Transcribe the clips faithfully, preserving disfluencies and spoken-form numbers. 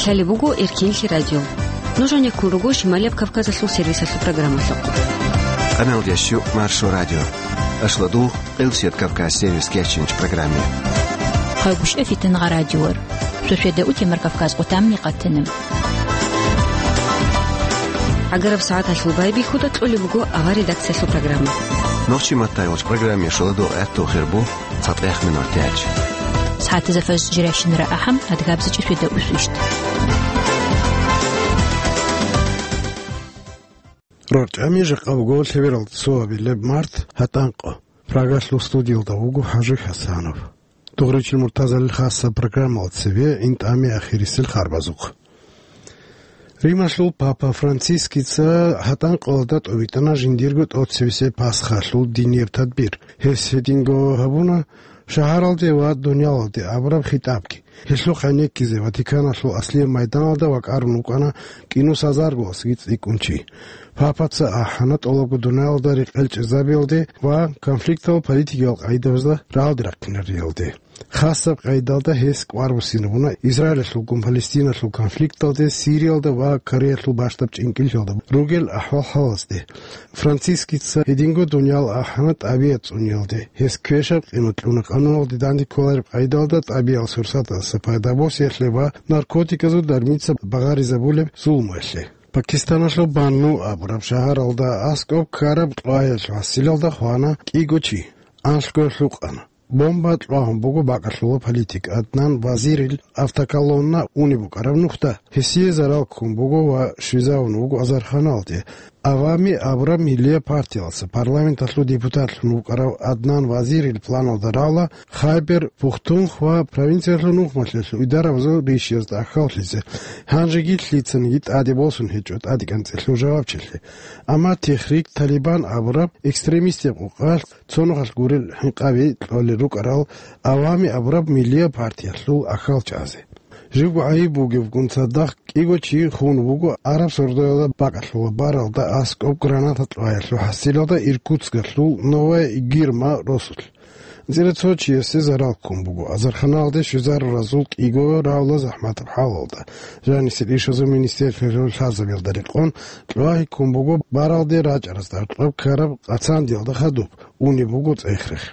Лъалеб буго Эркенлъи радио. Нуж гьанеккун руго Шималияб Кавказалъул сервисалъул программалъухъ. Къаналдящу Маршо радио. Ашладу, Къилсият Кавказ сервис кечинч программе. Хъайгуща фитангъа радиор. Шошеда утемар Кавказ къутамни къатана. Агараб сагӀаталъул байбихьуда кьолеб буго авар редакциялъул программа. Нохчи маттай вач программе шоладу гӀатту хирбу. ЦатӀехъ минутач. СагӀатазда фажр жирайщинара ахӀам, адгабзичӀеб шуьда усвищ. РорчӀами жакъа буго лъебералда цоабилеб март, гьатӀанкъо. Прагалъул студиялда вуго ХӀажи Хасанов. Дугъричил Муртазалил хасаб программал цеве ин тӀами ахирисел харбазухъ. Рималъул папа Францискица гьатӀанкъалда тӀобитӀана жиндирго тӀоцевесеб Пасхалъул динир тадбир. Гьес гьединго гьабуна шагьаралде ва дуниялалде абураб хитӀабги. Гьелъухъ гӀенеккизе Ватиканалъул аслияб майданалда вакӀарун вукӀана кӀинусазаргоасги цӀикӀкӀун чи. Папаца ахӀана тӀолабго дуниялалда рекъел чӀезабиялде ва конфликтал политикиял къагӀидабазда рагӀалде рахъинариялде. Хасаб къайдалда гьес кӀвар буссинабуна Израилалъулгун Палестиналъул конфликталде, Сириялда ва Кореялъул бащдаб чӀинкӀиллъиялда ругел ахӀвал-хӀалазде. Францискица гьединго дуниял ахӀана тӀабигӀат цӀуниялде. Гьес квешаб къимат кьуна къануналде данде кколареб къайдалда тӀабигӀал сурсаталдаса пайда босиялъе ва наркотиказул дармица багъаризабулеб зулмуялъе. Пакистаналъул Банну абураб шагьаралда аскӀоб ккараб кьвагьиялъул хӀасилалда хвана кӀиго чи, анлъго гьукъана. Бомба кьвагьун буго бакӀалъула политик Аднан Вазирил автоколонна унеб букӀараб нухда. Гьесие зарал ккун буго ва щвезавун вуго азарханалде. Авами абураб миллияб партиялдаса парламенталъул депутатлъун вукӀарав Аднан Вазирил планалда рала Хайбер-Пухтунхва провинциялъул нухмалъиялъул идарабазул ришиязда ахьаллъизе. Гьанжеги лъицаниги тӀаде босун гьечӀо тӀадегӀанцӀелъул жавабчилъи. Амма Техрик Талибан абураб экстремистияб къукъалъ цо нухалъ гурел хӀинкъаби кьолел рукӀарал Авами абураб миллияб партиялъул ахьал чӀазе. Живго гӀайиб бугебгун цадахъ кӀиго чи хун вуго араб сордоялда бакӀалъула баралда аскӀоб граната кьвагьиялъул хӀасилалда Иркутскалъул Новая Игирма росулъ. АнцӀила цо чиясе зарал ккун буго азарханалде щвезаруразул кӀиго равла захӀматаб хӀалалда. Жанисел ишазул министерствоялъул лъазабиялда рекъон, кьвагьи ккун буго баралде рачӀаразда гьоркьоб ккараб къацандиялда хадуб, унеб буго цӀех-рех.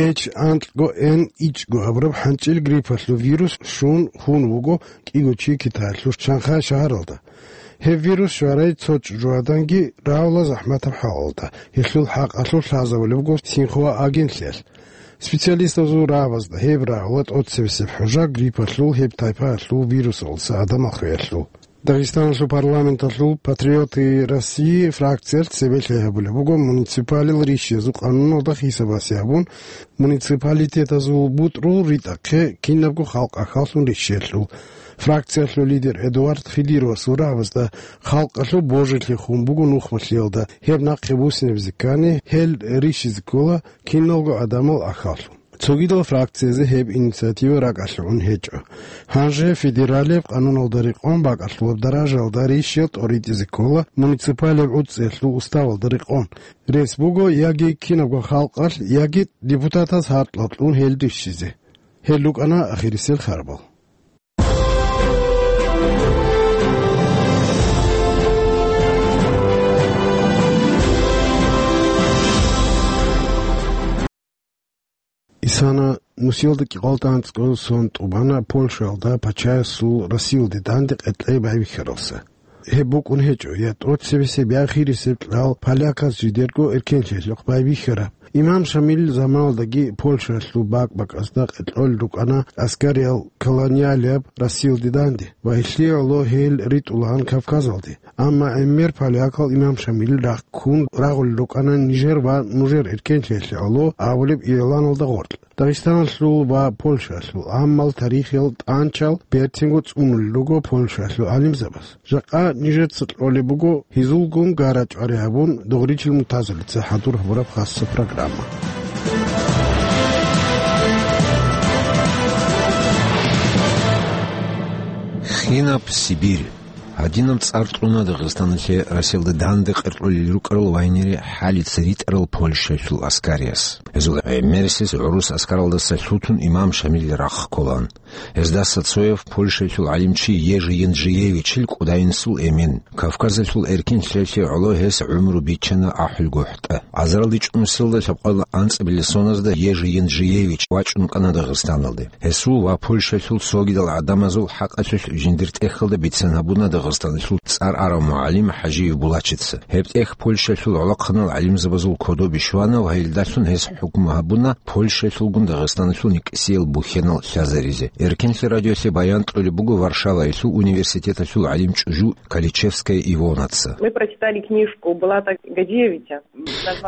Эч анкьго эн ичӀго абураб хӀанчӀил гриппалъул вирус щун хун вуго кӀиго чи Китаялъул Шанхай шагьаралда. Гьеб вирус щварай цо чӀужугӀаданги равла захӀматаб хӀалалда, гьелъул хӀакъалъулъ лъазабулеб буго Синхуа агентлъиялъ. Специалистазул рагӀабазда гьеб рагӀула тӀоцебесеб хӀужа гриппалъул гьеб тайпаялъул вирусалдаса гӀадамал хвеялъул. Дагъистаналъул парламенталъул «Патриоты России» фракциялъ цебе лъай гьабулеб буго муниципалил ришиязул къануналда хисабасе гьабун, муниципалитетазул бутӀрул ритӀахъе кинабго халкъ ахьаллъун ришиялъул. Фракциялъул лидер Эдуард Хидировасул рагӀабазда халкъалъул божилъи хун буго нухмалъиялда, гьеб нахъе буссинабизе ккани, гьел ришизе ккола киналго гӀадамал ахьаллъун. Цогидал фракциязе гьеб инициатива ракӀалъе гӀун гьечӀо. Гьанже федералияб къануналда рекъон бакӀалъулаб даражаялда ришиял тӀоритӀизе ккола муниципалияб гӀуцӀиялъул уставалда рекъон. Рес буго яги кинабго халкъалъ, яги депутатаз гьаркьал кьун гьел ришизе. Гьел рукӀана ахирисел харбал. Исана нусиялда кӀикъоялда анцӀго сон тӀубана Польшаялда пачаясул Россиялде данде къеркьей байбихьаралса. Гьеб букӀун гьечӀо я тӀоцебесеб, я хирисеб кьал поляказ жидерго эркенлъиялъухъ байбихьараб. Имам Шамил заманалдаги Польшаялъул бакӀ-бакӀазда къеркьолел рукӀана аскариял колониалияб Россиялде данде ва гьелъие гӀоло гьел ритӀулаан Кавказалде. Амма гӀемер полякал Имам Шамил рахъ ккун рагъулел рукӀана Нижер ва нужер эркенлъиялъе гӀоло абулеб игӀланалда гъоркь. Дагъистаналъул ва Польшаялъул гӀаммал тарихиял тӀанчал берцинго цӀунулел руго Польшаялъул гӀалимзабаз. Жакъа нижеца кьолеб буго гьезулгун гара-чӀвари гьабун, Дугъричил Мутазалица хӀадур гьабураб хасса программа. Хинаб Сибирь. Гьадинаб цӀар кьуна Дагъистаналъе Россиялда данде къеркьулел рукӀарал вайнери хӀалица ритӀарал Польшаялъул аскарияс. Гьезул гӀемерисез гӀурус аскаралдаса лъутун Имам Шамил рахъ кколаан. Гьездаса цояв Польшаялъул гӀалимчи Ежи Янджиевичил кӀудайинсул эмен. Кавказалъул эркинлъиялъе гӀоло гьес гӀумру биччана ахӀулгохӀтӀа. Азаралде чӀунусиялда лъабкъоялда анцӀабилеб соназда Ежи Янджиевич вачӀун вукӀана Дагъистаналде. Гьесул ва Польшаялъул цогидал гӀадамазул хӀакъалъулъ жиндир тӀехьалда бицен гьабуна Дагъистаналъул цӀар арав мугӀалим ХӀажиев Булачица. Гьеб тӀехь Польшаялъул гӀолохъанал гӀалимзабазул кодобе щвана ва гьелдалъун гьес хӀукму гьабуна Польшаялъулгун Дагъистаналъул никӀсиял бухьенал лъазаризе. Эркенлъи радиолъе баян кьолеб буго Варшаваялъул университеталъул гӀалим чӀужу Каличевская Ивонаца. Мы прочитали книжку Булата Гаджиевича.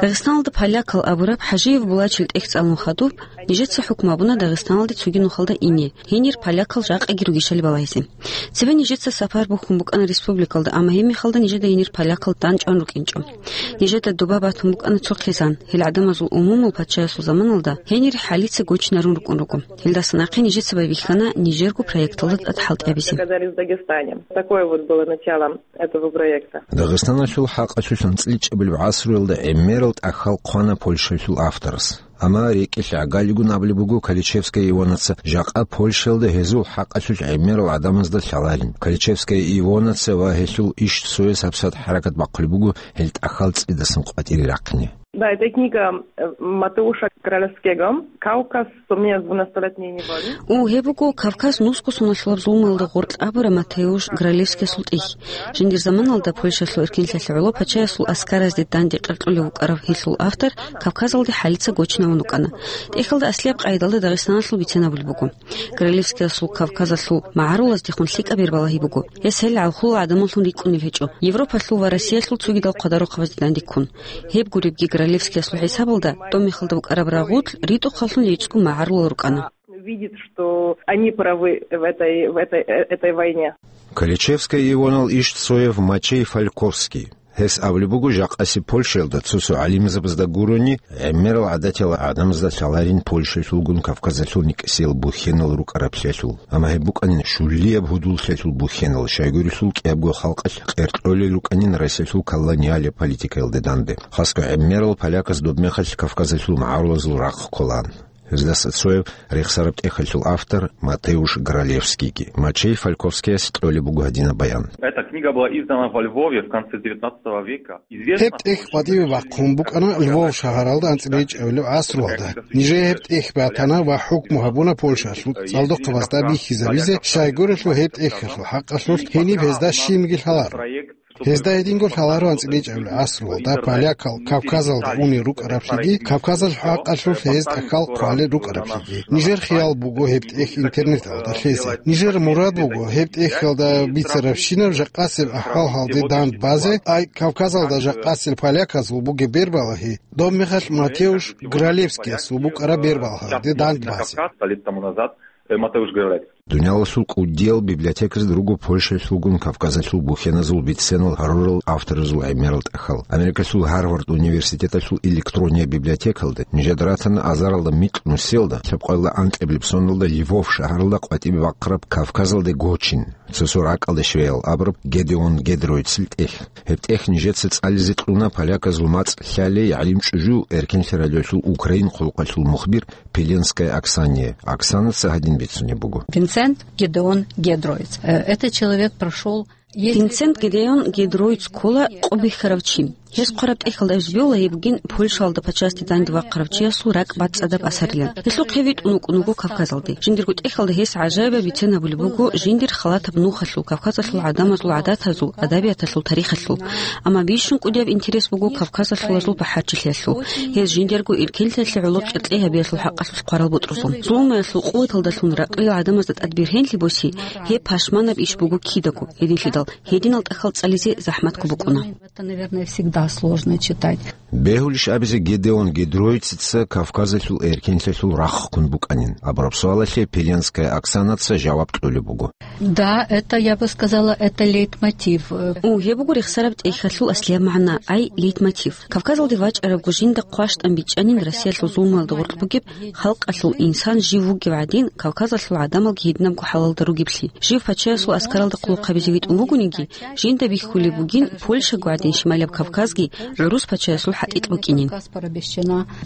Дагъистаналда полякал абураб ХӀажиев Булачил тӀехь цӀалун хадуб, нижеца хӀукму гьабуна Дагъистаналде цоги нухалда ине, гьенир полякал жакъаги ругищали балагьизе. Цебе нижеца сапар бухьун букӀана республикалда, амма гьебмехалда нижеда гьенир полякал данчӀван рукӀинчӀо. Нижеда доба батун букӀана цо хъизан, гьел гӀадамазул умумул пачаясул заманалда гьенир хӀалица гочинарун рукӀун руго. Гьелдаса нахъе нижеца байбихьана нижерго проекталда тӀад хӀалтӀи гьабизе. Оказались в Дагестане. Такое вот было начало этого проекта. Дагъистаналъул хӀакъалъулъ анцӀила чӀебилеб гӀасруялда гӀемерал тӀахьал хъвана Польшаялъул авторас. Амма рекӀелъ гӀагалигун абулеб буго Каличевская Ивонаца, жакъа Польшаялда гьезул хӀакъалъулъ гӀемерал гӀадамазда лъаларин. Каличевская Ивонаца ва гьелъул иш цояс гьабсагӀат хӀаракат бахъулеб буго гьел тӀахьал цӀидасан къватӀире рахъине. Да, это книга, э, Матеуша Гралевского «Кавказ. Сумея в двунадцатилетней неволе». О, гьеб буго Кавказ нусго соналъулаб зулмуялда гъоркь абураб Матеуш Гралевскиясул тӀехь. Жиндир заманалда Польшаялъул эркинлъиялъе гӀоло пачаясул аскаразде данде къеркьулев вукӀарав гьелъул автор Кавказалде хӀалица гочинавун вукӀана. ТӀехьалда аслияб къайдалда Дагъистаналъул бицен абулеб буго. Гралевскиясул Кавказалъул магӀарулаздехун лъикӀаб бер балагьи буго. Гьес гьел гӀалхулал гӀадамаллъун рикӀкӀунел гьечӀо, Европалъул ва Россиялъул цогидал хъвадарухъабазде данде ккун. Гьеб гуребги Гралевскиясул хӀисабалда, тӀомихалда букӀараб рагъулъ ритӀухъаллъун рецӀго магӀарулал рукӀана. Видит, что они правы в этой, в этой, э, этой войне. Каличевская Ивонал иш цояв Мачей Фальковский. Гьес абулеб буго, жакъаси Польшаялда цо-цо гӀалимзабазда гурони, гӀемерал гӀадатиял гӀадамазда лъаларин Польшаялъулгун Кавказалъул никӀсиял бухьенал рукӀараблъиялъул. Амма гьеб букӀанин щулияб гьудуллъиялъул бухьенал, щайгурелъул кӀиябго халкъалъ къеркьолел рукӀанин Россиялъул колониалияб политикаялде данде. Хасго гӀемерал поляказ добмехалъ Кавказалъул магӀарулазул рахъ кколаан. Гьездаса цояв рехсараб тӀехьалъул автор Матеуш Гралевскийги. Мачей Фальковскияс кьолеб буго гьадинаб баян. Эта книга была издана во Львове в конце девятнадцатого века. Гьеб тӀехь къватӀиве бахъун букӀана Львов шагьаралда анцӀила чӀебилеб гӀасруялда. Нижее гьеб тӀехь батана ва хӀукму гьабуна Польшалъул цӀалдохъабазда бихьизабизе, щайгурелъул гьеб тӀехьалъул хӀакъалъулъ гьениб гьезда щибниги лъаларо. Гьезда гьединго лъаларо анцӀила чӀебилеб гӀасруялда полякал Кавказалда унел рукӀараблъиги, Кавказалъул хӀакъалъулъ гьез тӀахьал хъвалел рукӀараблъиги. Нижер хиял буго гьеб тӀехь интернеталда лъезе. Нижер мурад буго гьеб тӀехьалда бицарабщинаб жакъасеб ахӀвал-хӀалде данд базе, ай Кавказалда жакъасел поляказул бугеб бер балагьи, добмехалъ Матеуш Гралевскиясул букӀараб бер балагьалде данд базе. Э, Матеуш Гралевский. Дуниялалъул кӀудиял библиотеказда руго Польшаялъулгун Кавказалъул бухьеназул биценал гьарурал авторазул гӀемерал тӀахьал. Америкалъул Гарвард университеталъул электрония библиотекалда нижеда ратана азаралда микьнусиялда лъабкъоялда анкьабилеб соналда Львов шагьаралда къватӀибе бахъараб Кавказалде гочин, цо-цо ракӀалде щвеял абураб Гедеон Гедроицил тӀехь. Гьеб тӀехь нижеца цӀализе кьуна поляказул мацӀ лъалей гӀалим чӀужу Эркенлъи радиолъул Украин хъулухъалъул мухбир Пеленская Оксания. Оксанаца гьадин бицунеб буго. Винсент Гедеон Гедроиц. Э, этот человек прошёл... Винсент Гедеон Гедроиц ккола къо бихьарав чи. Гьес хъвараб тӀехьалда гьеб жиб бугин Польшалда пачасде данде вахъарав чиясул ракӀ бацӀцӀадаб асарилан. Гьелъухъ гьев витӀун вукӀун вуго Кавказалде. Жиндирго тӀехьалда гьес гӀажаибаб бицен абулеб буго жиндир халатаб нухалъул, Кавказалъул гӀадамазул гӀадатазул, адабияталъул, тарихалъул. Амма бищун кӀудияб интерес буго кавказалъулазул бахӀарчилъиялъул. Гьез жиндирго иркенлъиялъе гӀоло кьеркьей гьабиялъул хӀакъалъулъ хъварал бутӀрузул. Зулмуялъул къуваталдалъун ракьлил гӀадамазда тӀадбирхӀенлъи боси, гьеб пашманаб иш буго кидаго, гьединлъидал гьединал тӀахьал цӀализе захӀматго букӀуна. Это, наверное, всегда сложно читать. Бегьулищ абизе Гедеон Гедроицица Кавказалъул эркенлъиялъул рахъ ккун букӀанин? Абураб суалалъе Пеленская Оксанаца жаваб кьолеб буго. Да, это, я бы сказала, это лейтмотив. О, гьеб буго рехсараб тӀехьалъул аслияб магӀна, ай лейтмотив. Кавказалде вачӀарабго жинда хъващтӀан бичӀчӀанин Россиялъул зулмуялда гъоркь бугеб халкъалъул инсан жив вугев гӀадин, Кавказалъул гӀадамалги гьединабго хӀалалда ругеблъи. Жив пачаясул аскаралда хъулухъабизе витӀун вугониги, жинда бихьулеб бугин Польшаго гӀадин Шималаб Кавказ Азги гӀурус пачаясул хӀатӀикь букӀинин.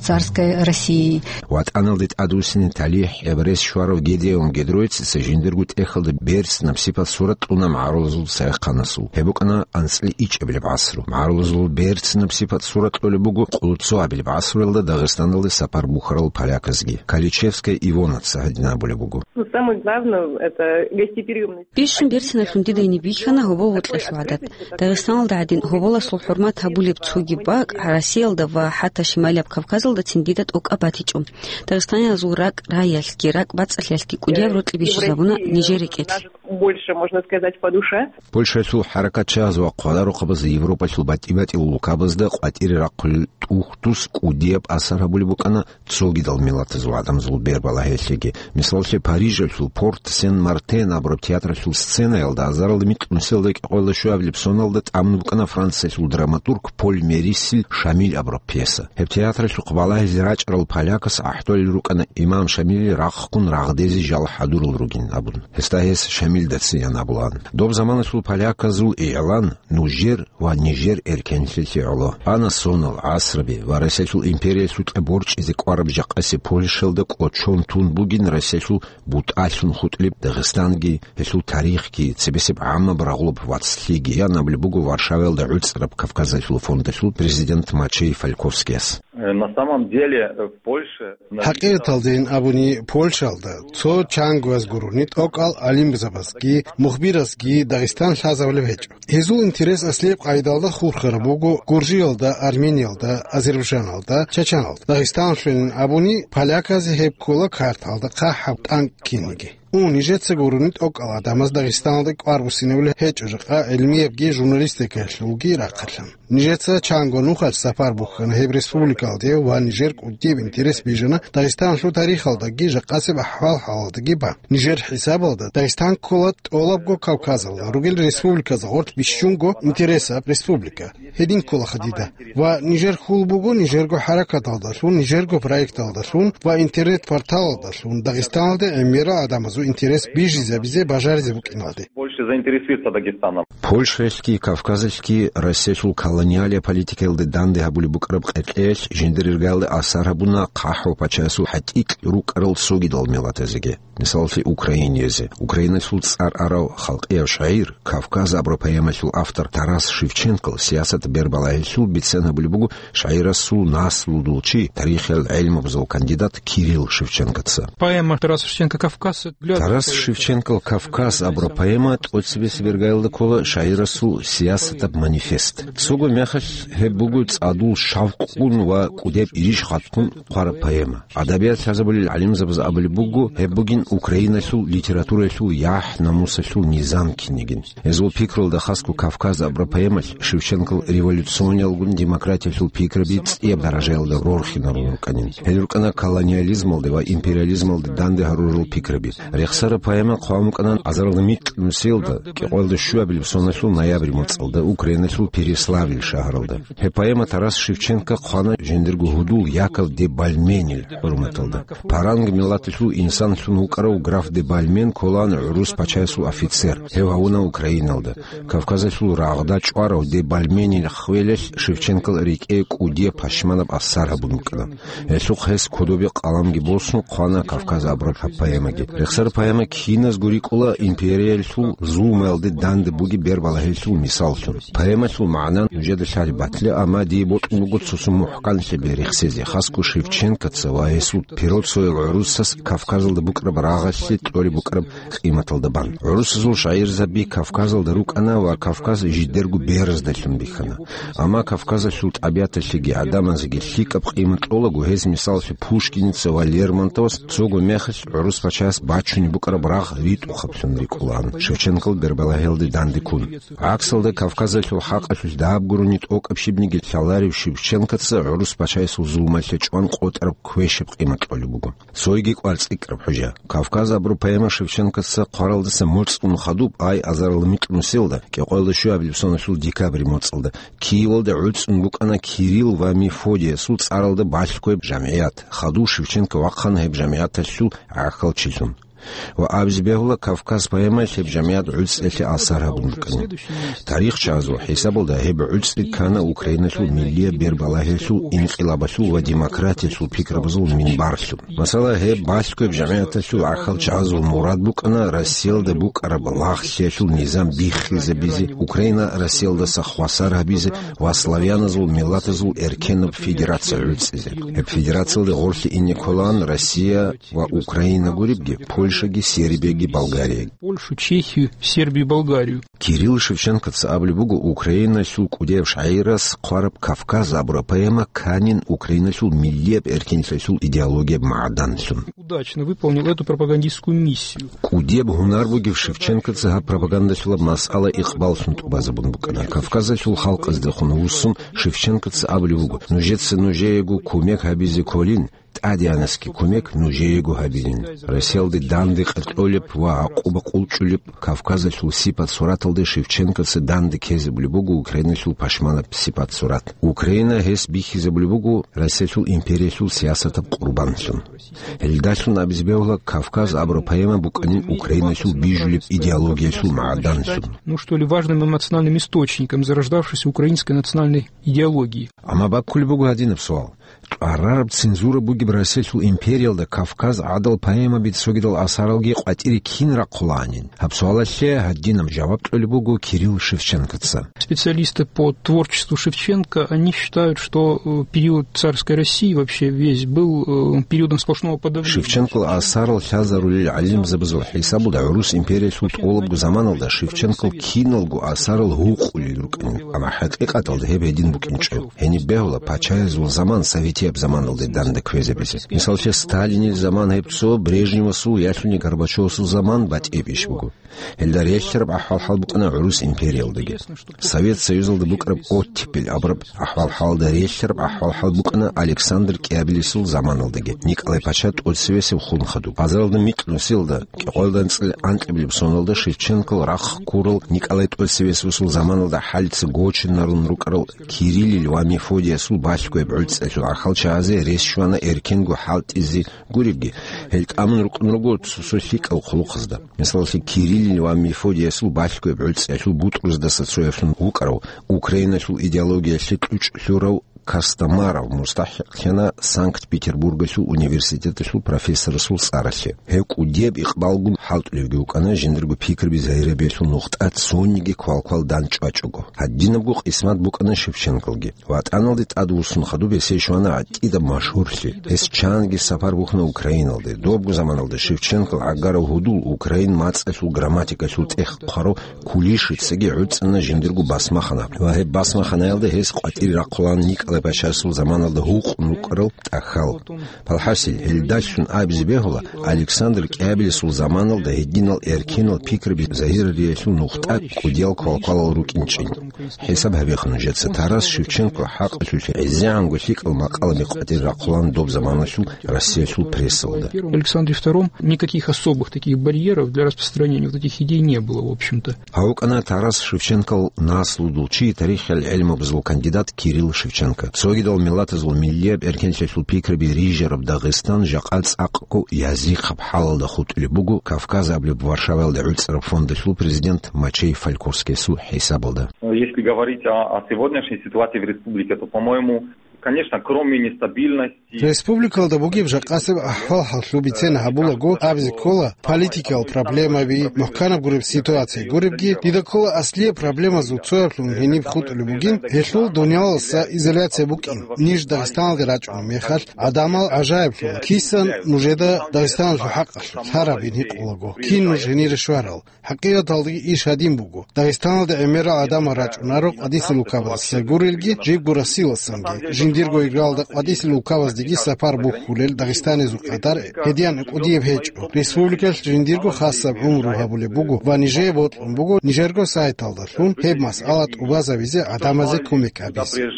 Царская Россия. ВатӀаналде тӀадвуссине талихӀ гӀебарес щварав Гедеон Гедроицица жиндирго тӀехьалда берцинаб сипат сурат кьуна магӀарулазул цайхъанасул. Гьеб букӀана анцӀила ичӀабилеб гӀасру. МагӀарулазул берцинаб сипат сурат кьолеб буго къоло цоабилеб гӀасруялда Дагъистаналде сапар бухьарал поляказги. Каличевская Ивонаца гьадин абулеб буго. Ну, самое главное, это гостеприимность. Бищун берциналъун дида гьениб бихьана гьобол-вокьалъул гӀадат. Дагъистаналда гӀадин гьоболасул хӀурмат гьабулеб цоги бакӀ Россиялда ва хӀатта Шималияб Кавказалдацин дида тӀокӀаб батичӀо. Дагъистаниязул ракӀ-раялъги ракӀ-бацӀцӀалъиялъги кӀудияб рокьи бищизабуна нижер рекӀелъ. Больше, можно сказать, по душе. Польшаялъул хӀаракатчагьаз ва хъвадарухъабаз Европалъул батӀи-батӀиял улкабазда къватӀире рахъулел тӀухьдус кӀудияб асар гьабулеб букӀана цогидал миллатазул гӀадамазул бербалагьиялъеги. Мисалалъе, Парижалъул Порт Сен-Мартен абураб театралъул сценаялда азаралда микьнусиялда кӀикъоялда щуабилеб соналда тӀамун букӀана Франциялъул драматург Поль Мерисил «Шамиль» абураб пьеса. Гьеб театралъухъ балагьизе рачӀарал полякас гӀахӀдолел рукӀана имам Шамилил рахъун рагъдезе жал хӀадурал ругин абун. Гьесда гьес Шамилда цеян абулаан. Доб заманалъул поляказул игӀлан нужер ва нижер эркенлъилъе гӀоло. Ана сонал, гӀасраби ва Россиялъул империялъукьа борчӀизе кӀвараб жакъасе Польшаялда кӀочон тун бугин Россиялъул бутӀалъун хутӀулеб Дагъистанги, гьелъул тарихги, цебесеб гӀаммаб рагъулаб вацлъиги, ян абулеб буго Варшаваялда гӀуцӀараб Кавказалъул фондалъул президент Мачей Фальковскияс. Э, на самом деле, э, в Польше... ХӀакъикъаталдейин абуни, Польшаялда цо чангояз гурони тӀокӀал гӀалимзабазги, мухбирасги Дагъистан лъазабулеб гьечӀо. Гьезул интерес аслияб къайдалда хурхараб буго Гуржиялда, Армениялда, Азербайджаналда, Чачаналда. Дагъистаналъулин абуни, поляказе гьеб ккола карталда хъахӀаб тӀанкӀ кинниги. У, нижеца гурони тӀокӀал гӀадамаз Дагъистаналда кӀвар буссинабулеб гьечӀо жакъа гӀилмиябги журналистикаялъулги рахъалъан. Нижеца чанго нухалъ сапар бухьана гьеб республикалде ва нижер кӀудияб интерес бижана Дагъистаналъул тарихалдаги жакъасеб ахӀвал-хӀалалдаги бан. Нижер хӀисабалда Дагъистан ккола тӀолабго Кавказалда ругел республиказда гъорлъ бищунго интересаб республика. Гьедин кколаха дида. Ва нижер хьул буго нижерго хӀаракаталдалъун, нижерго проекталдалъун ва интернет-порталалдалъун Дагъистаналде гӀемерал гӀадамазул интерес бижизабизе бажаризе букӀиналде. Больше заинтересуется Дагестаном. Польшаялъги Кавказалъги Россиялъул колониалия политикаялде данде гьабулеб букӀараб къеркьеялъ жиндир иргаялде асар гьабуна хъахӀ ва пачаясул хӀатӀикь рукӀарал цогидал миллатазеги. Мисалалъе, украиниязе. Украиналъул цӀар арав халкъияв шагӀир, Кавказ абураб поэмалъул автор Тарас Шевченкол сиясат бербалагьилъул бицен гьабулеб буго шагӀирасул наслудул чи, тарихиял гӀелмабазул кандидат Кирилл Шевченкоца. Поэма Тараса Шевченко «Кавказ». Тарас Шевченкол «Кавказ» абураб поэма тӀоцебесеб иргаялда ккола шагӀирасул сиясатаб манифест. Цого мехалъ гьеб буго цӀадул шавкъун ва кӀудеб ириш хатӀун хъвараб поэма. Адабият лъазабулел гӀалимзабаз абулеб буго, гьеб бугин Украиналъул литератураялъул яхӀ-намусалъул низам кинигин. Гьезул пикрулда хасго «Кавказ» абураб поэмалъ Шевченкол революциониялгун демократиялъул пикраби цӀияб даражаялда рорхинарун рукӀанин. Гьел рукӀана колониализмалде ва империализмалде данде гьарурал пикраби. Рехсараб поэма хъван букӀана азаралда микь нусиялда, кӀикъоялда щуабилеб соналъул ноябрь моцӀалда Украиналъул Переславль шагьаралда. Гьеб поэма Тарас Шевченко хъвана жиндирго гьудул Яков де Бальменил хӀурматалда. Паранг миллаталъул инсанлъун вукӀарав граф де Бальмен кколаан гӀурус пачаясул офицер. Гьев гьавуна Украиналда. Кавказалъул рагъда чӀварав де Бальменил ххвелалъ Шевченкол рекӀее кӀудияб пашманаб асар гьабун букӀана. Гьелъухъ гьес кодобе къаламги босун хъвана «Кавказ» абураб гьаб поэмаги. Рехсар поэма киназго рикӀкӀула империялъул зулмаялде данде бугеб бербалагьилъул мисаллъун. Поэмалъул магӀна нужеда лъалеб батила, амма дие бокьун буго цо-цо мухӀканлъи берихсезе, хасго Шевченкоца ва гьесул пиросоял гӀурусас Кавказалда букӀараб рагъалъе кьолеб букӀараб къиматалда бан. ГӀурусазул шагӀирзаби Кавказалда рукӀана ва Кавказ жидерго бераздалъун бихьана. Амма Кавказалъул тӀабигӀаталъеги гӀадамазеги лъикӀаб къимат кьолаго, гьез, мисаллъе, Пушкиница ва Лермонтовас цого мехалъ гӀурус пачаяс бачунеб букӀараб рагъ ритӀухъаблъун рикӀкӀулаан, Шевченкол бербалагьиялде данде ккун. ГӀаксалда, Кавказалъул хӀакъалъулъ даб гурони тӀокӀаб щибниги лъаларев Шевченкоца гӀурус пачаясул зулмалъе чӀван къотӀараб квешаб къимат кьолеб буго. Цойги кӀвар цӀикӀкӀараб хӀужа. «Кавказ» абураб поэма Шевченкоца хъваралдаса моцӀун хадуб, ай азарилла микьнусиялда, кӀикъоялда щуабилеб соналъул декабрь моцӀалда, Киевалда гӀуцӀун букӀана Кирилл ва Мефодиясул цӀаралда балъгояб жамгӀият. Хадув Шевченко вахъана гьеб жамгӀияталъул гӀахьалчилъун. Ва абизе бегьула, Кавказ поэмаялъ гьеб жамигӀат гӀуцӀиялъе асар гьабун букӀана. Тарихчагьазул хӀисабалда гьеб гӀуцӀи ккана Украиналъул миллияб бербалагьиялъул инкъилабалъул ва демократиялъул пикрабазул минбарлъун. Масала, гьеб балъгояб жамигӀаталъул гӀахьалчагьазул мурад букӀана Россиялда букӀараб лагълъиялъул низам биххизабизе, Украина Россиялдаса хвасар гьабизе ва славяназул миллатазул эркенаб федерация гӀуцӀизе. Гьеб федерациялде гъорлъе ине кколаан Россия ва Украина гуребги, Польшаги, Сербияги, Болгарияги. Польшу, Чехию, Сербию, Болгарию. Кирилл Шевченкоца абулеб буго Украиналъул кӀудияб шагӀирас хъвараб «Кавказ» абураб поэма кканин Украиналъул миллияб эркенлъиялъул идеологияб магӀданлъун. Удачно выполнил эту пропагандистскую миссию. КӀудияб гьунар бугев Шевченкоца гьаб пропагандалъулаб масъала икъбаллъун тӀубазабун букӀана. Кавказалъул халкъаздехун вуссун, Шевченкоца абулеб буго: «Нужеца нужеего кумек гьабизе кколин, тӀадегӀанасги кумек нужеего гьабилин. Россиялде данде къеркьолеб ва гӀакъуба къулчӀулеб Кавказалъул сипат-сураталде Шевченкоца данде ккезабулеб буго Украиналъул пашманаб сипат-сурат. Украина гьес бихьизабулеб буго Россиялъул империялъул сиясатаб къурбанлъун». Гьелдалъун абизе бегьула, «Кавказ» абураб поэма букӀанин Украиналъул бижулеб идеологиялъул магӀданлъун. Ну что ли, важным эмоциональным источником зарождавшейся украинской национальной идеологии. Амма баккулеб буго гьадинаб суал: кьварараб цензура бугеб Россиялъул империялда «Кавказ» гӀадал поэмаби цогидал асаралги къватӀире кин рахъулаанин? Гьаб суалалъе гьадинаб жаваб кьолеб буго Кирилл Шевченкоца. Специалисты по творчеству Шевченко, они считают, что, э, период царской России вообще весь был, э, периодом сплошного подавления. Шевченкол асарал лъазарулел гӀалимзабазул хӀисабалда гӀурус империялъул тӀолабго заманалда Шевченкол киналго асарал гьукъулел рукӀанин, амма хӀакъикъаталда гьеб гьедин букӀинчӀо. Гьениб бегьула пачаязул заман советияб заманалде данде кквезабизе. Мисаллъе, Сталинил заман гьеб цо, Брежневасул яхӀлъуни Горбачевасул заман батӀияб иш буго. Гьелда релълъараб ахӀвал-хӀал букӀана гӀурус империялдаги. Совет Союзалда букӀараб оттепель абураб ахӀвал-хӀалалда релълъараб ахӀвал-хӀал букӀана Александр КӀиабилисул заманалдаги, Николай Пача тӀоцевесев хун хадуб. Базаралда микьнусиялда, кӀикъоялда анцӀила анкьабилеб соналда Шевченкол рахъ ккурал Николай тӀоцевесевасул заманалда хӀалица гочинарун рукӀарал Кириллил ва Мефодиясул балъгояб гӀуцӀиялъул гӀахьалчагьазе рес щвана эркенго хӀалтӀизе гуребги, гьел тӀамун рукӀун руго цо-цо лъикӀал хъулухъазда. Мисаллъи, Кириллил ва Мефодиясул балъгояб гӀуцӀиялъул бутӀруздаса цояблъун вукӀарав, Украиналъул идеологиялъе кьучӀ лъурав Костомаров мустахӀикълъана Санкт-Петербургалъул университеталъул профессорасул цӀаралъе. Гьев кӀудияб икъбалгун хӀалтӀулевги вукӀана жиндирго пикраби загьирабиялъул нухтӀа цониги квалквал дандчӀвачӀого. Гьадинабго къисмат букӀана Шевченколги. ВатӀаналде тӀадвуссун хадуб гьесие щвана гӀатӀидаб машгьурлъи. Гьес чанги сапар бухьана Украиналде. Добго заманалда Шевченкол гӀагарав гьудул украин мацӀалъул грамматикалъул тӀехь хъварав Кулишицаги гӀуцӀана жиндирго басмахана. Ва гьеб басмаханаялда гьес къватӀире рахъулаан Николай Пашасул заманалда гьукъун рукӀарал тӀахьал. Палхасил, гьелдалъун абизе бегьула, Александр КӀиабилисул заманалда гьединал эркенал пикраби загьириялъул нухтӀа кӀудиял квалквалал рукӀинчӀин. ХӀисаб гьабеха нужеца, Тарас Шевченко хӀакъалъулъ гӀезегӀанго лъикӀал макъалаби къватӀире рахъулаан доб заманалъул Россиялъул прессалда. Александре втором никаких особых таких барьеров для распространения вот этих идей не было, в общем-то. Гьав вукӀана Тарас Шевченкол наслудул чи, тарихиял гӀелмабазул кандидат Кирилл Шевченко. Цогидал миллатазул миллияб эркенлъиялъул пикраби рижараб Дагъистан жакъа цӀакъго язихъаб хӀалалда хутӀулеб буго Кавказ абулеб Варшаваялда гӀуцӀараб фондалъул президент Мачей Фалькурскиясул хӀисабалда. Если говорить о, о сегодняшней ситуации в республике, то, по-моему, конечно, кроме нестабильности, Республикалда бугеб жакъасеб ахӀвал-хӀаллъу бицен гьабулаго, абизе ккола, политикиял проблемаби, мухӀканаб гуреб ситуация гуребги, дида ккола аслияб проблемазул цояблъун гьениб хутӀулеб бугин, гьелъул дунялалдаса изоляция букӀин. Ниж Дагъистаналде рачӀунеб мехалъ, гӀадамал гӀажаиблъула, кисан нужеда Дагъистаналъул хӀакъалъулъ лъарабин гьикъулаго, кин нуж гьенире щварал. ХӀакъикъаталдаги иш гьадин буго. Дагъистаналда гӀемерал гӀадамал рачӀунаро къватӀисел улкабаздаса гурелги, жибго Россиялдасанги. Жиндирго иргалда къватӀисел улкабаздеги сапар бухьулел дагъистанизул къадар гьедин кӀудияб гьечӀо. Республикалъ жиндирго хасаб гӀумру гьабулеб буго ва нижее бокьун буго нижерго сайталдалъун гьеб масъала тӀубазабизе гӀадамазе кумек гьабизе.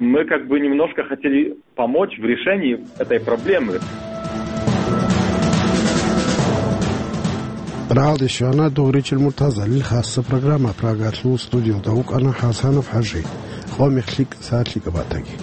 Мы как бы немножко хотели помочь в решении этой проблемы. Рагьалде щвана Дугъричил Муртазалил хасса программа. Прагалъул студиялда вукӀана ХӀасанов ХӀажи. Къо мех лъикӀ, сагӀат лъикӀаб батаги.